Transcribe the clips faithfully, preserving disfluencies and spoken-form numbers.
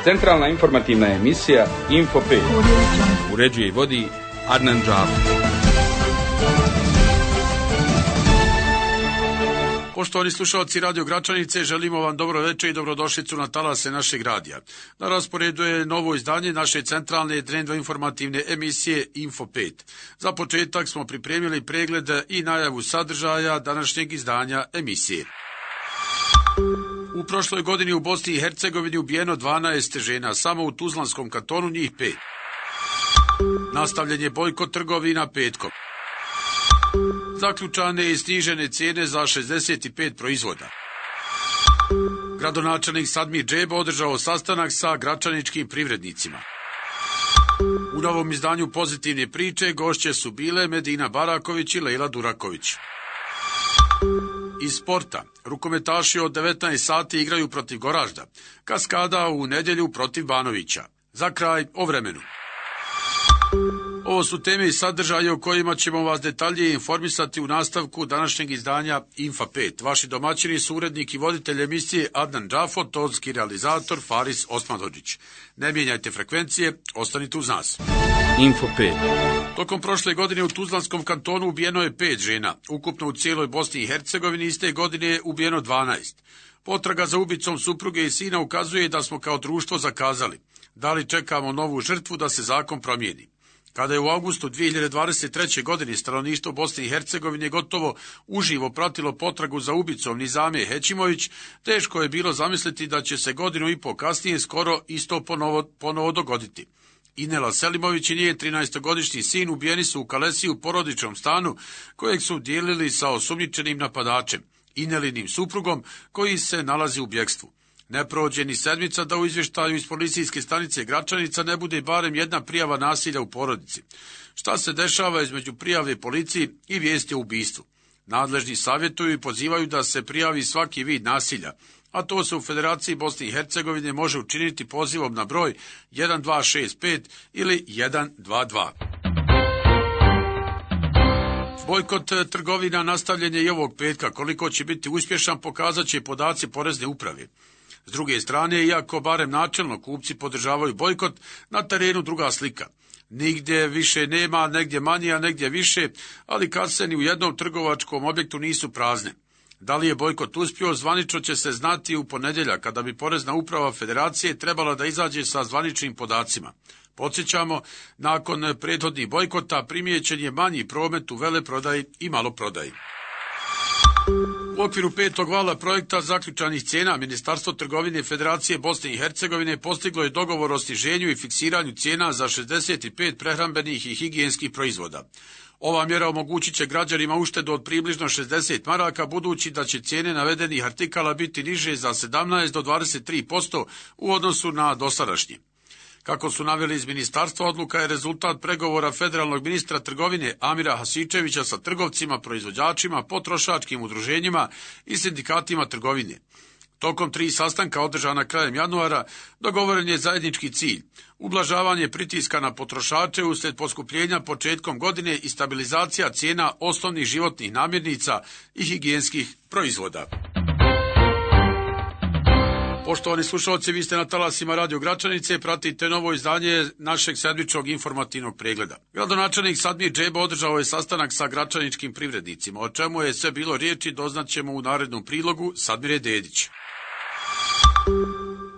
Centralna informativna emisija Info pet. Uređuje i vodi Adnan Džafer. Poštovani slušalci Radio Gračanice, želimo vam dobro večer i dobrodošlicu na talase našeg radija. Na rasporedu je novo izdanje naše centralne dnevno informativne emisije Info pet. Za početak smo pripremili pregled i najavu sadržaja današnjeg izdanja emisije. U prošloj godini u Bosni i Hercegovini ubijeno dvanaest žena, samo u Tuzlanskom kantonu njih pet. Nastavljen je bojkot trgovina petkom. Zaključane i snižene cijene za šezdeset pet proizvoda. Gradonačelnik Sadmir Džebo održao sastanak sa gračaničkim privrednicima. U novom izdanju pozitivne priče gošće su bile Medina Baraković i Lejla Duraković. Iz sporta, rukometaši od devetnaest sati igraju protiv Goražda, Kaskada u nedjelju protiv Banovića. Za kraj o vremenu. Ovo su teme i sadržaje o kojima ćemo vas detaljnije informisati u nastavku današnjeg izdanja Info pet. Vaši domaćini su urednik i voditelj emisije Adnan Džafer, tonski realizator Faris Osmanodžić. Ne mijenjajte frekvencije, ostanite uz nas. Info pet. Tokom prošle godine u Tuzlanskom kantonu ubijeno je pet žena. Ukupno u cijeloj Bosni i Hercegovini iste godine je ubijeno dvanaest. Potraga za ubicom supruge i sina ukazuje da smo kao društvo zakazali. Da li čekamo novu žrtvu da se zakon promijeni? Kada je u avgustu dvije hiljade dvadeset treće. godine stanovništvo Bosne i Hercegovine gotovo uživo pratilo potragu za ubicom Nizame Hećimović, teško je bilo zamisliti da će se godinu i po kasnije skoro isto ponovo, ponovo dogoditi. Inela Selimović i njen trinaestogodišnji sin ubijeni su u Kalesiji u porodičnom stanu kojeg su dijelili sa osumnjičenim napadačem, Inelinim suprugom koji se nalazi u bjegstvu. Ne prođe ni sedmica da u izvještaju iz policijske stanice Gračanica ne bude barem jedna prijava nasilja u porodici. Šta se dešava između prijave policiji i vijesti o ubistvu? Nadležni savjetuju i pozivaju da se prijavi svaki vid nasilja, a to se u Federaciji Bosne i Hercegovine može učiniti pozivom na broj jedan dva šest pet ili jedan dva dva. Bojkot trgovina nastavljen je i ovog petka. Koliko će biti uspješan pokazat će podaci porezne uprave. S druge strane, iako barem načelno kupci podržavaju bojkot, na terenu druga slika. Nigdje više nema, negdje manje, a negdje više, ali kase ni u jednom trgovačkom objektu nisu prazne. Da li je bojkot uspio, zvanično će se znati u ponedjeljak, kada bi porezna uprava Federacije trebala da izađe sa zvaničnim podacima. Podsjećamo, nakon prethodnih bojkota primijećen je manji promet u veleprodaji i maloprodaji. U okviru petog vala projekta zaključanih cijena, Ministarstvo trgovine Federacije Bosne i Hercegovine postiglo je dogovor o sniženju i fiksiranju cijena za šezdeset pet prehrambenih i higijenskih proizvoda. Ova mjera omogućit će građanima uštedu od približno šezdeset maraka, budući da će cijene navedenih artikala biti niže za sedamnaest do dvadeset tri posto u odnosu na dosadašnje. Kako su naveli iz ministarstva, odluka je rezultat pregovora federalnog ministra trgovine Amira Hasičevića sa trgovcima, proizvođačima, potrošačkim udruženjima i sindikatima trgovine. Tokom tri sastanka održana krajem januara dogovoren je zajednički cilj: ublažavanje pritiska na potrošače uslijed poskupljenja početkom godine i stabilizacija cijena osnovnih životnih namirnica i higijenskih proizvoda. Poštovani slušalci, vi ste na talasima Radio Gračanice, pratite novo izdanje našeg sedmičnog informativnog pregleda. Gradonačelnik Sadmir Džebo održao je sastanak sa gračaničkim privrednicima. O čemu je sve bilo riječi doznaćemo u narednom prilogu Sadmire Dedić.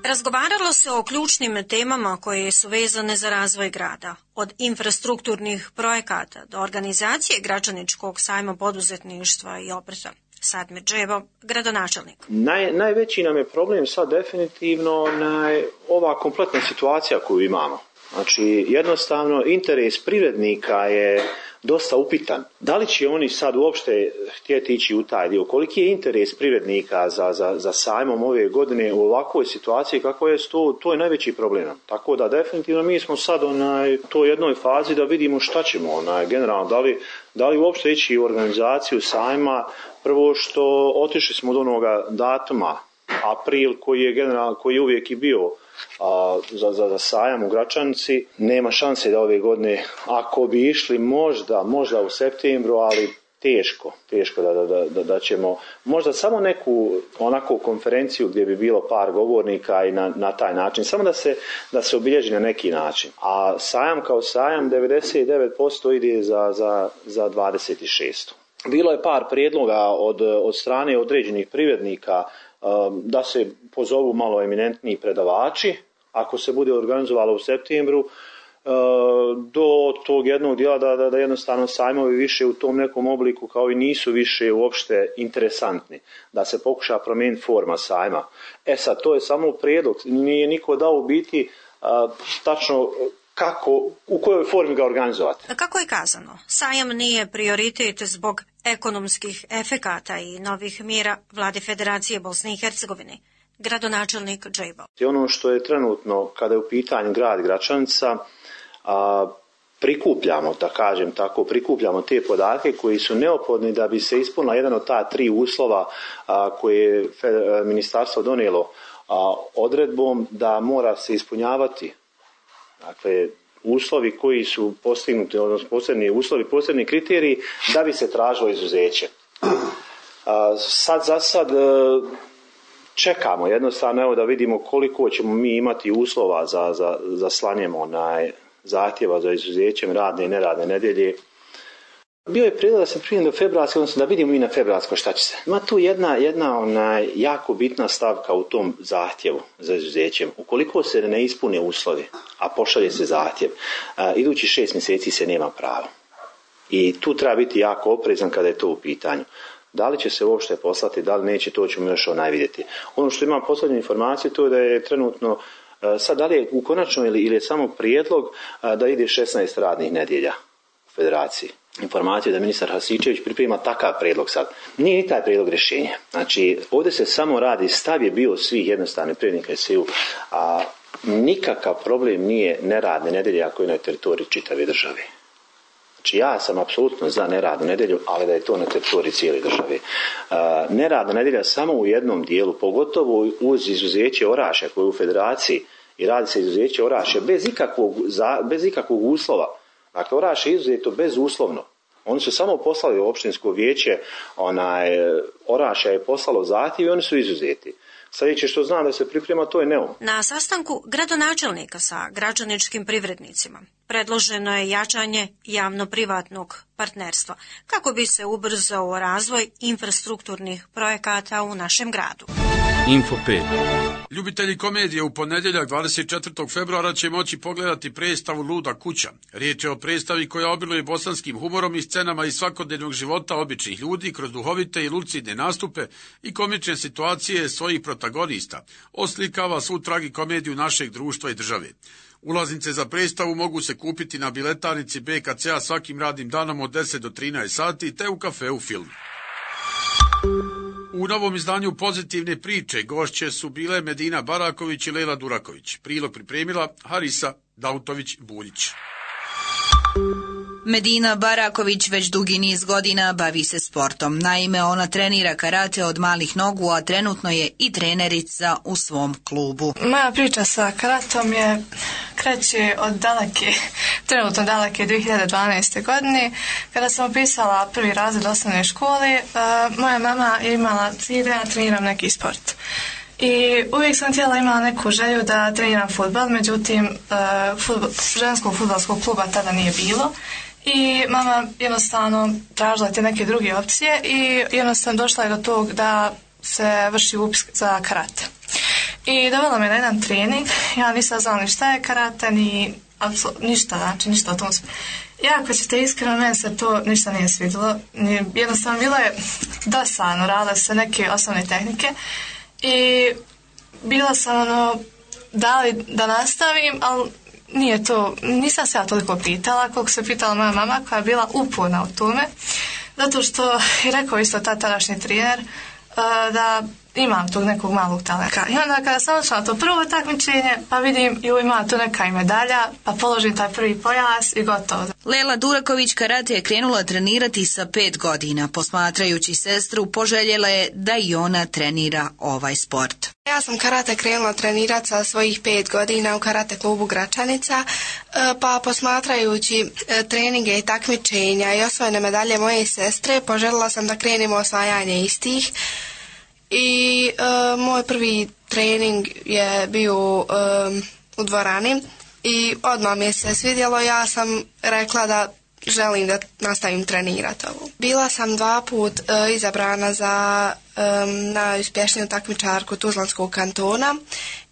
Razgovaralo se o ključnim temama koje su vezane za razvoj grada, od infrastrukturnih projekata do organizacije gračaničkog sajma poduzetništva i obrta. Sadmir Džebo, gradonačelnik. Naj, najveći nam je problem sad definitivno na ova kompletna situacija koju imamo. Znači, jednostavno, interes privrednika je dosta upitan. Da li će oni sad uopšte htjeti ići u taj dio? Koliki je interes privrednika za, za, za sajmom ove godine u ovakvoj situaciji? Kako je to? To je najveći problem. Tako da definitivno mi smo sad onaj, to jednoj fazi da vidimo šta ćemo onaj, generalno. Da li, da li uopšte ići u organizaciju sajma? Prvo što otišli smo od onoga datuma, april, koji je generalno, koji je uvijek i bio a, za, za, za sajam u Gračanici. Nema šanse da ove godine, ako bi išli možda, možda u septembru, ali teško, teško da, da, da, da ćemo možda samo neku onako konferenciju gdje bi bilo par govornika i na, na taj način, samo da se, da se obilježi na neki način. A sajam kao sajam devedeset devet posto ide za, za, za dvadeset šest. Bilo je par prijedloga od, od strane određenih privrednika um, da se pozovu malo eminentniji predavači, ako se bude organizovalo u septembru, do tog jednog dijela da, da, da jednostavno sajmovi više u tom nekom obliku kao i nisu više uopšte interesantni, da se pokuša promijeniti forma sajma. E sad, to je samo prijedlog, nije niko dao u biti a, tačno kako, u kojoj formi ga organizovati. Kako je kazano, sajam nije prioritet zbog ekonomskih efekata i novih mjera Vlade Federacije Bosne i Hercegovine. Gradonačelnik Džejbo. Ono što je trenutno, kada je u pitanju grad Gračanica, a, prikupljamo, da kažem tako, prikupljamo te podatke koji su neophodni da bi se ispunila jedan od ta tri uslova a, koje je ministarstvo donijelo a, odredbom da mora se ispunjavati. Dakle, uslovi koji su postignuti, odnosno posebni uslovi, posebni kriteriji da bi se tražilo izuzeće. A, sad za sad čekamo jednostavno evo da vidimo koliko ćemo mi imati uslova za, za, za slanjem onaj zahtjeva za izuzećem radne i neradne nedjelje. Bio je prijedlog da se prije do februarske, odnosno da vidimo mi na februarsko šta će se. Ima tu jedna, jedna onaj, jako bitna stavka u tom zahtjevu za izuzećem. Ukoliko se ne ispune uslovi, a pošalje se zahtjev, a, idući šest mjeseci se nema pravo. I tu treba biti jako oprezan kada je to u pitanju. Da li će se uopšte poslati, da li neće, to ćemo još onaj vidjeti. Ono što imam posljednju informaciju, to je da je trenutno, sad da li je u konačno ili, ili je samo prijedlog da ide šesnaest radnih nedjelja u Federaciji. Informaciju da ministar Hasičević priprema takav prijedlog sad. Nije ni taj prijedlog rješenja. Znači, ovdje se samo radi, stav je bio svih jednostavnih privrednika S E U, a nikakav problem nije neradne nedjelje ako je na teritoriji čitave države. Znači ja sam apsolutno za neradnu nedjelju, ali da je to na teritoriji cijele države. Uh, neradna nedjelja samo u jednom dijelu, pogotovo uz izuzeće Orašja koje je u Federaciji i radi se izuzeće Orašja bez ikakvog, za, bez ikakvog uslova. Dakle, Orašje je izuzeto bezuslovno. Oni su samo poslali u opštinsko vijeće, onaj, Orašja je poslalo zahtjev i oni su izuzeti. Sljedeće što znam da se priprema, to je neum. Na sastanku gradonačelnika sa građaničkim privrednicima predloženo je jačanje javno-privatnog partnerstva kako bi se ubrzao razvoj infrastrukturnih projekata u našem gradu. Info pet. Ljubitelji komedije u ponedjeljak dvadeset četvrtog februara će moći pogledati predstavu Luda kuća. Riječ je o predstavi koja obiluje bosanskim humorom i scenama iz svakodnevnog života običnih ljudi kroz duhovite i lucidne nastupe i komične situacije svojih protagonista. Oslikava svu tragikomediju našeg društva i države. Ulaznice za predstavu mogu se kupiti na biletarnici B K C-a svakim radnim danom od deset do trinaest sati te u kafeu Film. U novom izdanju Pozitivne priče gošće su bile Medina Baraković i Lela Duraković. Prilog pripremila Harisa Dautović-Buljić. Medina Baraković već dugi niz godina bavi se sportom. Naime, ona trenira karate od malih nogu, a trenutno je i trenerica u svom klubu. Moja priča sa karatom je kreće od daleke, trenutno daleke dvije hiljade dvanaeste. godine. Kada sam upisala prvi razred osnovne škole, moja mama je imala cilj da ja treniram neki sport. I uvijek sam htjela, imala neku želju da treniram fudbal, međutim fudbal, ženskog fudbalskog kluba tada nije bilo. I mama jednostavno tražila te neke druge opcije i jednostavno došla je do tog da se vrši upis za karate. I dovela me na jedan trening, ja nisam znala ni šta je karate, ni ništa, znači ništa o tom. Jako ćete iskreno, meni se to ništa nije svidjelo. Jednostavno bilo je dosadno, radile se neke osnovne tehnike i bila sam ono, da li da nastavim, ali nije to, nisam se ja toliko pitala koliko se pitala moja mama koja je bila uporna u tome, zato što je rekao isto ta tadašnji trener da imam tog nekog malog talenta. I onda kada sam odšla na to prvo takmičenje, pa vidim ju ima tu neka i medalja, pa položim taj prvi pojas i gotovo. Lela Duraković karate je krenula trenirati sa pet godina. Posmatrajući sestru, poželjela je da i ona trenira ovaj sport. Ja sam karate krenula trenirati sa svojih pet godina u karate klubu Gračanica. Pa posmatrajući treninge i takmičenja i osvojene medalje moje sestre, poželjela sam da krenemo osvajanje istih. I uh, moj prvi trening je bio um, u dvorani i odmah mi se svidjelo. Ja sam rekla da želim da nastavim trenirati ovo. Bila sam dva put uh, izabrana za um, najuspješniju takmičarku Tuzlanskog kantona.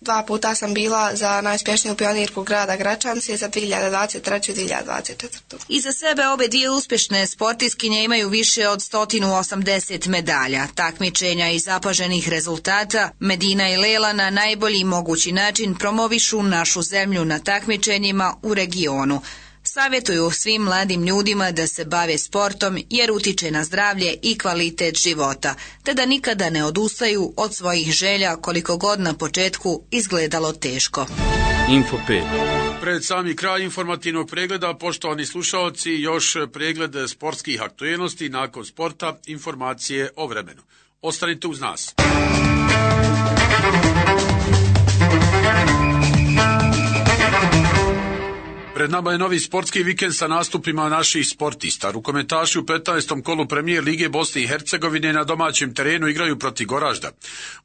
Dva puta sam bila za najuspješniju pionirku grada Gračanice za dvije hiljade dvadeset treće i dvije hiljade dvadeset četvrte. Iza sebe obe dvije uspješne sportistkinje imaju više od sto osamdeset medalja, takmičenja i zapaženih rezultata. Medina i Lela na najbolji mogući način promovišu našu zemlju na takmičenjima u regionu. Savjetuju svim mladim ljudima da se bave sportom jer utiče na zdravlje i kvalitet života, te da nikada ne odustaju od svojih želja koliko god na početku izgledalo teško. Info pet. Pred sami kraj informativnog pregleda, poštovani slušaoci, još pregled sportskih aktualnosti, nakon sporta informacije o vremenu. Ostanite uz nas. Pred nama je novi sportski vikend sa nastupima naših sportista. Rukometaši u petnaestom kolu Premijer Lige Bosne i Hercegovine na domaćem terenu igraju protiv Goražda.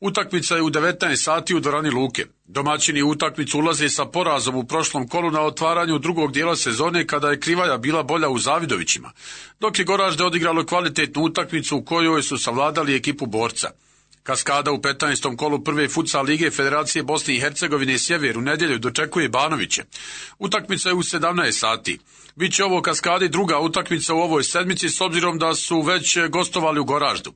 Utakmica je u devetnaest sati u dvorani Luke. Domaćini u utakmicu ulaze sa porazom u prošlom kolu na otvaranju drugog dijela sezone kada je Krivaja bila bolja u Zavidovićima, dok je Goražde odigralo kvalitetnu utakmicu u kojoj su savladali ekipu Borca. Kaskada u petnaestom kolu prve futsal lige Federacije Bosne i Hercegovine Sjever u nedjelju dočekuje Banoviće. Utakmica je u sedamnaest sati. Biće ovo Kaskadi druga utakmica u ovoj sedmici s obzirom da su već gostovali u Goraždu.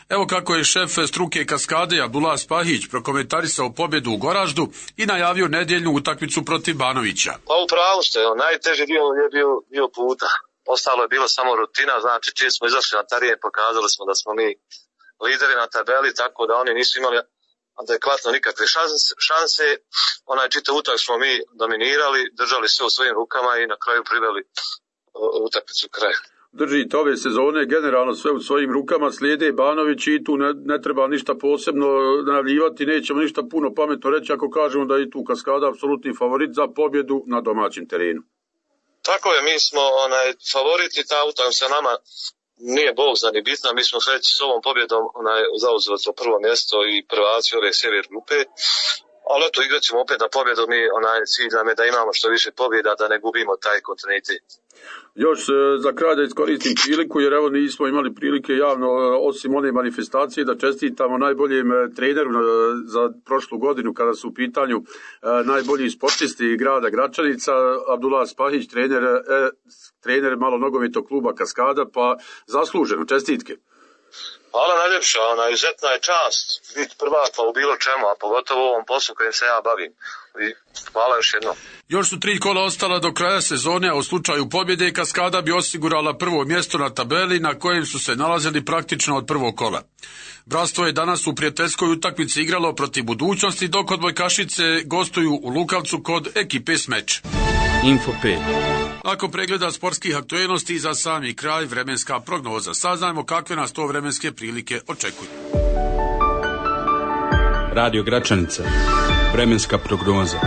Evo kako je šef struke Kaskade Abdullah Spahić prokomentarisao pobjedu u Goraždu i najavio nedjeljnu utakmicu protiv Banovića. Pa upravo ste, najteži dio je bio, bio puta. Ostalo je bilo samo rutina, znači čim smo izašli na teren pokazali smo da smo mi lideri na tabeli, tako da oni nisu imali adekvatno nikakve šanse. šanse. Onaj čitav utak smo mi dominirali, držali sve u svojim rukama i na kraju priveli utakmicu kraju. Držite ove sezone generalno sve u svojim rukama, slijede Banović i tu ne, ne treba ništa posebno najavljivati, nećemo ništa puno pametno reći ako kažemo da je tu Kaskada apsolutni favorit za pobjedu na domaćem terenu. Tako je, mi smo onaj favoriti, ta utakmica nama nije bog za ni bitna, mi smo već s ovom pobjedom onaj, zauzeli to prvo mjesto i prvaci ove sjever grupe, ali eto igrat ćemo opet na pobjedu, mi onaj cilj nam je da imamo što više pobjeda, da ne gubimo taj kontinuitet. Još za kraj da iskoristim priliku, jer evo nismo imali prilike javno, osim one manifestacije, da čestitamo najboljem treneru za prošlu godinu kada su u pitanju najbolji sportisti grada Gračanica, Abdullah Spahić, trener, trener malonogometnog kluba Kaskada, pa zasluženo, čestitke. Hvala najljepša, ona izuzetna je čast biti prvaka u bilo čemu, a pogotovo u ovom poslu kojim se ja bavim. I hvala još jednom. Još su tri kola ostala do kraja sezone, a u slučaju pobjede Kaskada bi osigurala prvo mjesto na tabeli na kojem su se nalazili praktično od prvog kola. Bratstvo je danas u prijateljskoj utakmici igralo protiv Budućnosti, dok odbojkašice gostuju u Lukavcu kod ekipe Smeč. Info pet. Ako pregleda sportskih aktualnosti za sami kraj, vremenska prognoza. Saznajmo kakve nas to vremenske prilike očekuju. Radio Gračanica. Vremenska prognoza.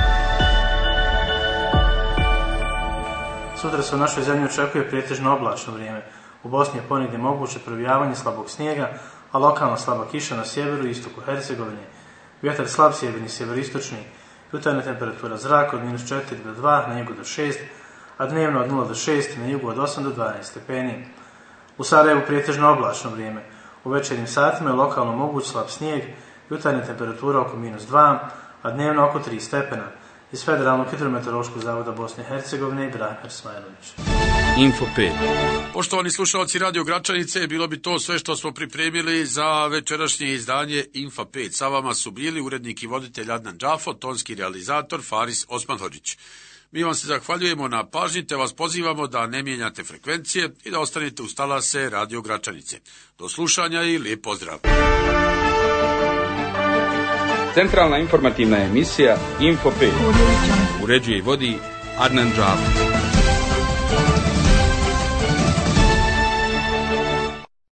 Sutra se u našoj zemlji očekuje pretežno oblačno vrijeme. U Bosni je ponegdje moguće provijavanje slabog snijega, a lokalno slaba kiša na sjeveru i istoku Hercegovine. Vjetar slab sjeverni, sjeveristočni. Jutarnja temperatura zraka od minus četiri do dva, na jugu do šest, a dnevno od nula do šest, na jugu od osam do dvanaest stepeni. U Sarajevu pretežno oblačno vrijeme. U večernjim satima je lokalno moguć slab snijeg, jutarnja temperatura oko minus dva, a dnevno oko tri stepena. Iz Federalnog hidrometeorološkog zavoda Bosne i Hercegovine, Ibrahim Ersmajlović. Info pet. Poštovani slušalci Radio Gračanice, bilo bi to sve što smo pripremili za večerašnje izdanje Info pet. Sa vama su bili urednik i voditelj Adnan Džafo, tonski realizator Faris Osmanhodžić. Mi vam se zahvaljujemo na pažnji, te vas pozivamo da ne mijenjate frekvencije i da ostanete uz talase Radio Gračanice. Do slušanja i lijep pozdrav. Centralna informativna emisija Info pet. Uređuje i vodi Adnan Džafo.